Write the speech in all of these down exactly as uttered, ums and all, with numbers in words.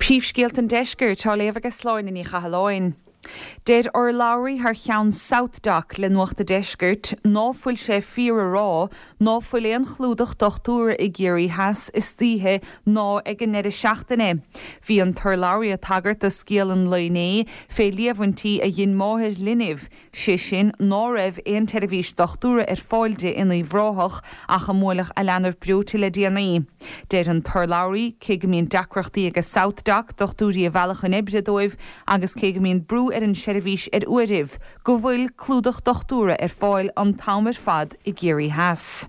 Príomhscéalta an Deiscirt á léamh ag Sláine Ní Chathalláin. Deir urlabhraí thar cheann SouthDoc le Nuacht an Deiscirt ná fuil sé fíor a rá ná fuil aon chlúdach dochtúra i gCiarraí Theas istoíche ná ag an ndeireadh seachtaine. Bhí an t-urlabhraí ag tagairt do scéal an lae inné fé líomhaintí a dhein máthair linbh, sé sin ná raibh aon tseirbhís dochtúra ar fáil di in Uíbh Ráthach ach a mbuaileadh a leanbh breoite le déanaí. Deir an t-urlabhraí cé go mbíonn deacrachtaí ag SouthDoc dochtúirí a mhealladh chun oibre dóibh agus cé go mbíonn brú ar an seirbhís ar uairibh, go bhfuil clúdach dochtúra ar fáil an t-am ar fad i gCiarraí Theas.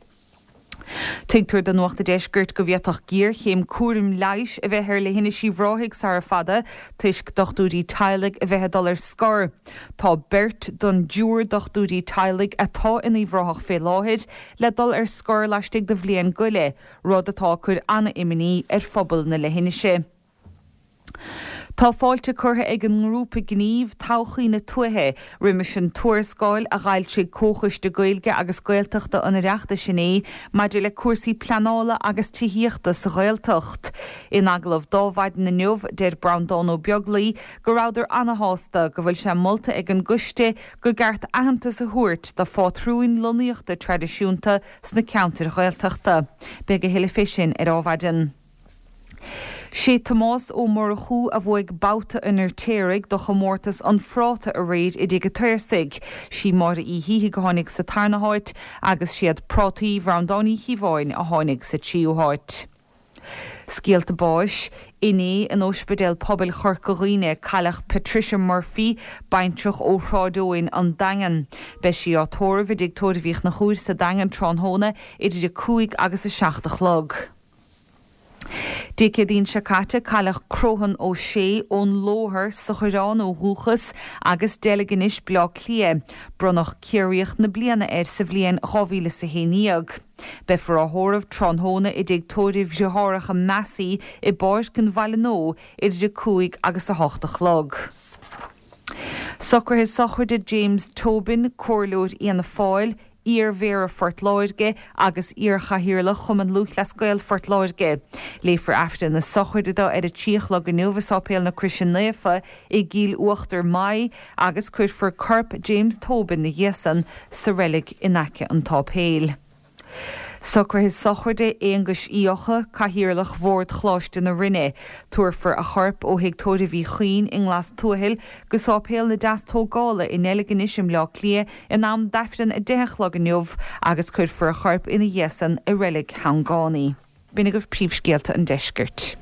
Tuigtear do Nuacht an Deiscirt go bhféadfadh géarchéim cúraim leighis a bheith ar Leithinis Uíbh Ráthaigh sara fada toisc dochtúirí teaghlaigh a bheith ag dul ar scor. Tá beirt den dtriúr dochtúirí teaghlaigh atá in Uíbh Ráthach fé láthair le dul ar scor laistigh de bhliain go leith, rud atá ag cur an-imní ar phobal na leithinise. Tá fáilte curtha ag an ngrúpa gnímh Todhchaí na Tuaithe roimis an tuarascáil a d'fhoilsigh Comhchoiste Gaeilge agus Gaeltachta an Oireachtais inné maidir le cúrsaí pleanála agus tithíochta sa Ghaeltacht. In agallamh d'Adhmhaidin inniu deir Breandán Ó Beaglaoi go rabhadar ana-shásta go bhfuil sé molta ag an gcoiste gur ceart aitheantas a thabhairt do phátrúin lonnaíochta traidisiúnta sna ceantair Ghaeltachta. Beidh a thuilleadh fé sin ar Adhmhaidin. Sé Tomás Ó Murchú a bhuaigh babhta an Fheirtéaraigh do chomórtas an phráta aréir i dTigh an tSaorsaigh. Sí Máire Uí Shíthigh a tháinig sa tarna háit agus siad prátaí Bhreandáin Uí Chíobháin a tháinig sa tríú háit. Scéalta báis, Inné in Ospidéal Pobail Chorca Dhuibhne cailleadh Patricia Murphy, baintreach ó Shráid Eoin an Daingean. Beidh sí á tórramh i dTigh Tórraimh Uí Chonchúir sa Daingean tráthnóna idir a cúig agus a seacht a chlog. Dé Céadaoin seo caite cailleadh Croghan Ó Sé ón Lóthar sa Choireán ó dhúchas agus Deilginis Bleá Cliath. Bronnadh Ciarraíoch na bliana air sa bhliain dhá mhíle is a haon déag. Beifear á thórramh tráthnóna i dTigh Tórraimh Dheartháireacha Massey i bPáirc an Bhaile Nua idir a cúig agus a hocht a chlog. Socruithe sochraide James Tobin, Comhairleoir Fhianna Fáil, iar-mhéara Phort Láirge agus iar-chathaoirleach Chumann Lúthchleas Gael Phort Láirge. Léifear Aifreann na sochraide dó ar a trí a chlog inniu i Sáipéal na Croise Naofa i gCill Uachtar Maí agus cuirfear corp James Tobin ina dhiaidh san sa reilig in aice an tsáipéil. Socruithe sochraide Aonghuis Uí Eocha, Cathaoirleach Bhord Choláiste na Rinne. Tabharfar a chorp ó Thigh Tórraimh Uí Chuinn i nGlas Tuathail go Sáipéal na Deastógála i nDeilginis i mBleá Cliath in am d'Aifreann a deich a chlog inniu agus cuirfear a chorp ina dhiaidh san i reilig Shangánaí. B'in agaibh príomhscéalta an deiscirt.